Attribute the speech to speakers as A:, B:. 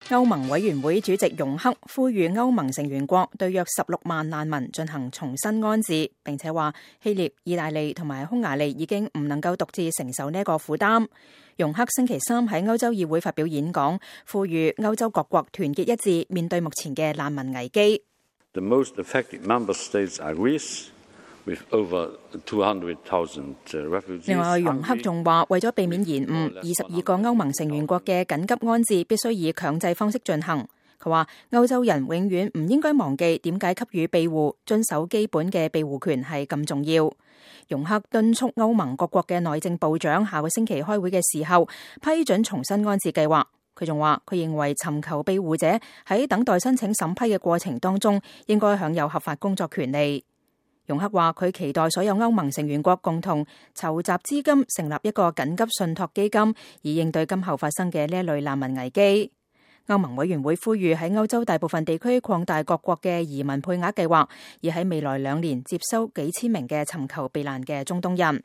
A: 歐盟委員會主席容克呼籲歐盟成員國對約16萬難民進行重新安置，並且話希臘、意大利同埋匈牙利已經唔能夠獨自承受呢一個負擔。容克星期三喺歐洲議會發表演講，呼籲歐洲各國團結一致面對目前嘅難民危機。
B: The most affected member states are Greece, with over 200,000 refugees.
A: 另外，容克仲話，為咗避免延誤，22個歐盟成員國嘅緊急安置必須以強制方式進行。佢話，歐洲人永遠唔應該忘記點解給予庇護、遵守基本嘅庇護權係咁重要。容克敦促歐盟各國嘅內政部長下個星期開會嘅時候批准重新安置計劃。佢仲話，佢認為尋求庇護者喺等待申請審批嘅過程當中應該享有合法工作權利。容克話，佢期待所有歐盟成員國共同籌集資金，成立一個緊急信託基金，以應對今後發生嘅呢一類難民危機。歐盟委員會呼籲喺歐洲大部分地區擴大各國嘅移民配額計劃，而喺未來2年接收幾千名嘅尋求避難嘅中東人。